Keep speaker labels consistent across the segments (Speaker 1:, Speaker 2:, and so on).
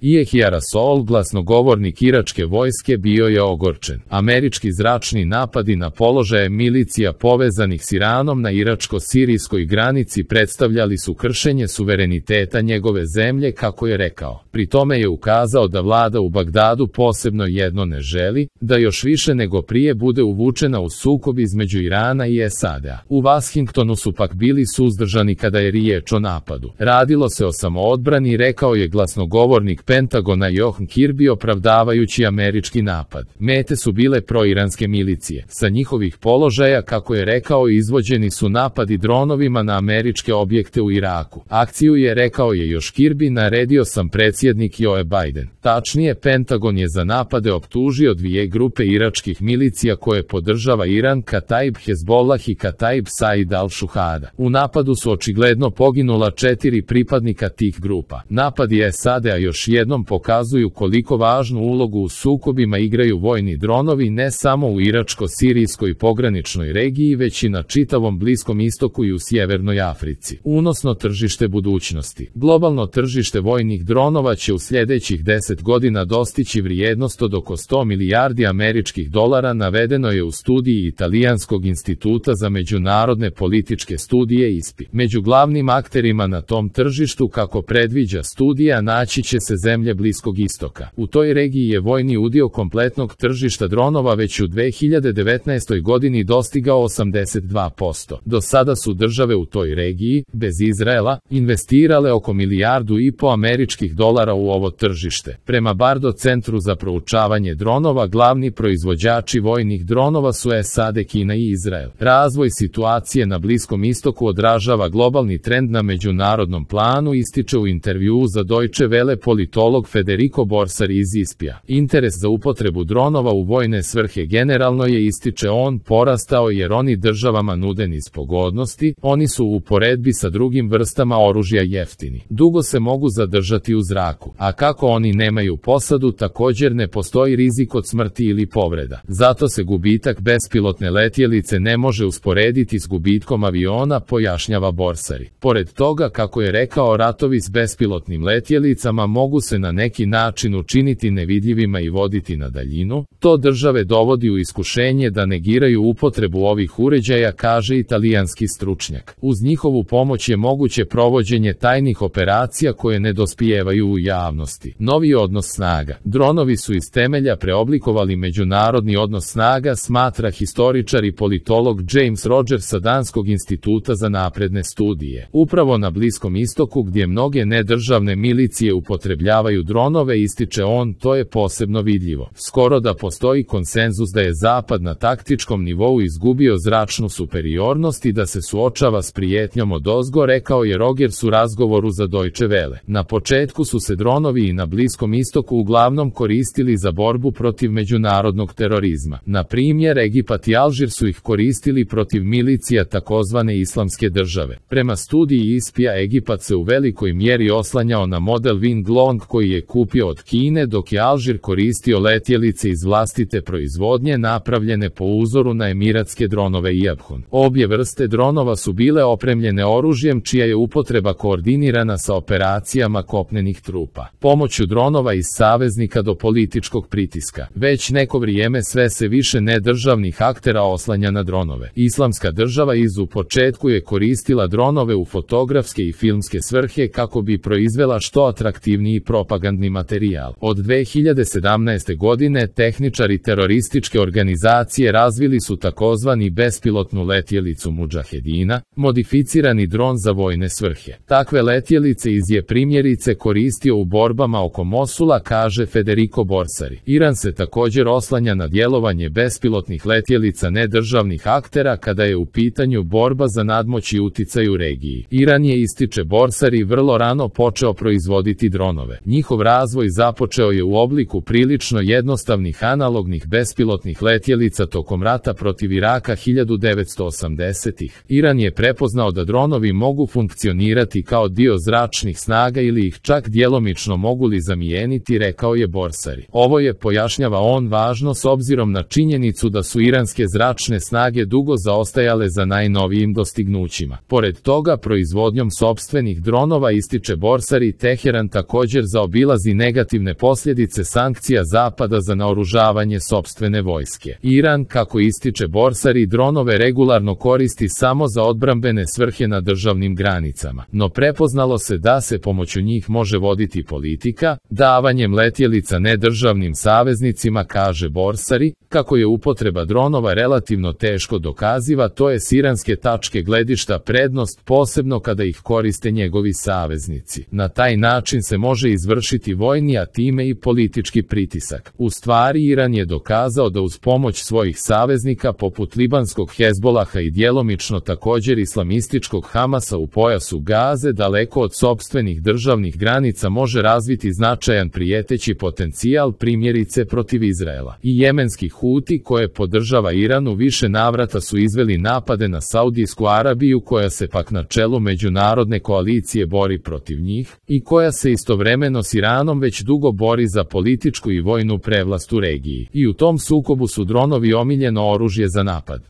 Speaker 1: Yehja Rasool, glasnogovornik iračke vojske, bio je ogorčen. Američki zračni napadi na položaje milicija povezanih s Iranom na iračko-sirijskoj granici predstavljali su kršenje suvereniteta njegove zemlje, kako je rekao. Pri tome je ukazao da vlada u Bagdadu posebno jedno ne želi, da još više nego prije bude uvučena u sukob između Irana i SAD-a. U Washingtonu su pak bili suzdržani kada je riječ o napadu. Radilo se o samoodbrani, rekao je glasnogovornik Pentagona John Kirby, opravdavajući američki napad. Mete su bile proiranske milicije. Sa njihovih položaja, kako je rekao, izvođeni su napadi dronovima na američke objekte u Iraku. Akciju je, rekao je još Kirby, naredio sam predsjednik Joe Biden. Tačnije, Pentagon je za napade optužio dvije grupe iračkih milicija koje podržava Iran, Kataib Hezbollah i Kataib Said al-Shuhada. U napadu su očigledno poginula 4 pripadnika tih grupa. Napadi SAD-a još jednom pokazuju koliko važnu ulogu u sukobima igraju vojni dronovi ne samo u iračko-sirijskoj pograničnoj regiji, već i na čitavom Bliskom istoku i u Sjevernoj Africi. Unosno tržište budućnosti. Globalno tržište vojnih dronova će u sljedećih 10 godina dostići vrijednost od oko 100 milijardi američkih dolara, navedeno je u studiji Italijanskog instituta za međunarodne političke studije ISPI. Među glavnim akterima na tom tržištu, kako predviđa studija, naći će se zemlje Bliskog istoka. U toj regiji je vojni udio kompletnog tržišta dronova već u 2019. godini dostigao 82%. Do sada su države u toj regiji, bez Izraela, investirale oko $1,5 milijardu američkih dolara u ovo tržište. Prema Bardo centru za proučavanje dronova, glavni proizvođači vojnih dronova su SAD, Kina i Izrael. Razvoj situacije na Bliskom istoku odražava globalni trend na međunarodnom planu, ističe u intervjuu za Deutsche Welle politolog Federico Borsari iz ISPI-a. Interes za upotrebu dronova u vojne svrhe generalno je, ističe on, porastao jer oni državama nude niz pogodnosti, oni su u uporedbi sa drugim vrstama oružja jeftini. Dugo se mogu zadržati u zraku, a kako oni nemaju posadu, također ne postoji rizik od smrti ili povreda. Zato se gubitak bespilotne letjelice ne može usporediti s gubitkom aviona, pojašnjava Borsari. Pored toga, kako je rekao, ratovi s bespilotnim letjelicama mogu se na neki način učiniti nevidljivima i voditi na daljinu. To države dovodi u iskušenje da negiraju upotrebu ovih uređaja, kaže italijanski stručnjak. Uz njihovu pomoć je moguće provođenje tajnih operacija koje ne dospijevaju u javnosti. Novi odnos snaga. Dronovi su iz temelja preoblikovali međunarodni odnos snaga, smatra historičar i politolog James Rogers sa Danskog instituta za napredne studije. Upravo na Bliskom istoku, gdje mnoge nedržavne milicije upotrebljavaju dronove, ističe on, to je posebno vidljivo. Skoro da postoji konsenzus da je Zapad na taktičkom nivou izgubio zračnu superiornost i da se suočava s prijetnjom odozgo, rekao je Rogers u razgovoru za Deutsche Welle. Na početku su se dronovi i na Bliskom istoku uglavnom koristili za borbu protiv međunarodnog terorizma. Na primjer, Egipat i Alžir su ih koristili protiv milicija takozvane Islamske države. Prema studiji ISPI-a, Egipat se u velikoj mjeri oslanjao na model Wing Long koji je kupio od Kine, dok je Alžir koristio letjelice iz vlastite proizvodnje napravljene po uzoru na emiratske dronove Iabhun. Obje vrste dronova su bile opremljene oružjem čija je upotreba koordinirana sa operacijama kopnenih trupa. Pomoću dronova iz saveznika do političkog pritiska. Već neko vrijeme sve se više nedržavnih aktera oslanja na dronove. Islamska država u početku je koristila dronove u fotografske i filmske svrhe kako bi proizvela što atraktivniji propagandni materijal. Od 2017. godine tehničari terorističke organizacije razvili su takozvani bespilotnu letjelicu Mudžahedina, modificirani dron za vojne svrhe. Takve letjelice je primjerice koristio u borbama oko Mosula, kaže Federico Borsari. Iran se također oslanja na djelovanje bespilotnih letjelica nedržavnih aktera kada je u pitanju borba za nadmoć i uticaj u regiji. Iran je, ističe Borsari, vrlo rano počeo proizvoditi dronove. Njihov razvoj započeo je u obliku prilično jednostavnih analognih bespilotnih letjelica tokom rata protiv Iraka 1980-ih. Iran je prepoznao da dronovi mogu funkcionirati kao dio zračnih snaga ili ih čak djelomično mogu li zamijeniti, rekao je Borsari. Ovo je, pojašnjava on, važno s obzirom na činjenicu da su iranske zračne snage dugo zaostajale za najnovijim dostignućima. Pored toga, proizvodnjom sopstvenih dronova, ističe Borsari, Teheran također zaobilazi negativne posljedice sankcija Zapada za naoružavanje sopstvene vojske. Iran, kako ističe Borsari, dronove regularno koristi samo za odbrambene svrhe na državnim granicama, no prepoznalo se da se pomoću njih može voditi politika, davanjem letjelica nedržavnim saveznicima, kaže Borsari. Kako je upotreba dronova relativno teško dokaziva, to je s iranske tačke gledišta prednost, posebno kada ih koriste njegovi saveznici. Na taj način se može izvršiti vojni, a time i politički pritisak. U stvari, Iran je dokazao da uz pomoć svojih saveznika poput libanskog Hezbolaha i djelomično također islamističkog Hamasa u pojasu Gaze, daleko od sopstvenih državnih granica, može razviti značajan prijeteći potencijal, primjerice protiv Izraela. I jemenski Huti, koje podržava Iran, u više navrata su izveli napade na Saudijsku Arabiju, koja se pak na čelu međunarodne koalicije bori protiv njih i koja se istovremeno s Iranom već dugo bori za političku i vojnu prevlast u regiji. I u tom sukobu su dronovi omiljeno oružje za napad.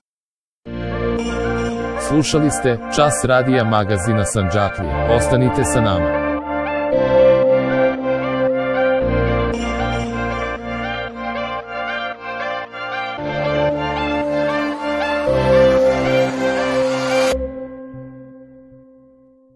Speaker 1: Slušali ste Čas radija magazina Sandžaklija. Ostanite sa nama.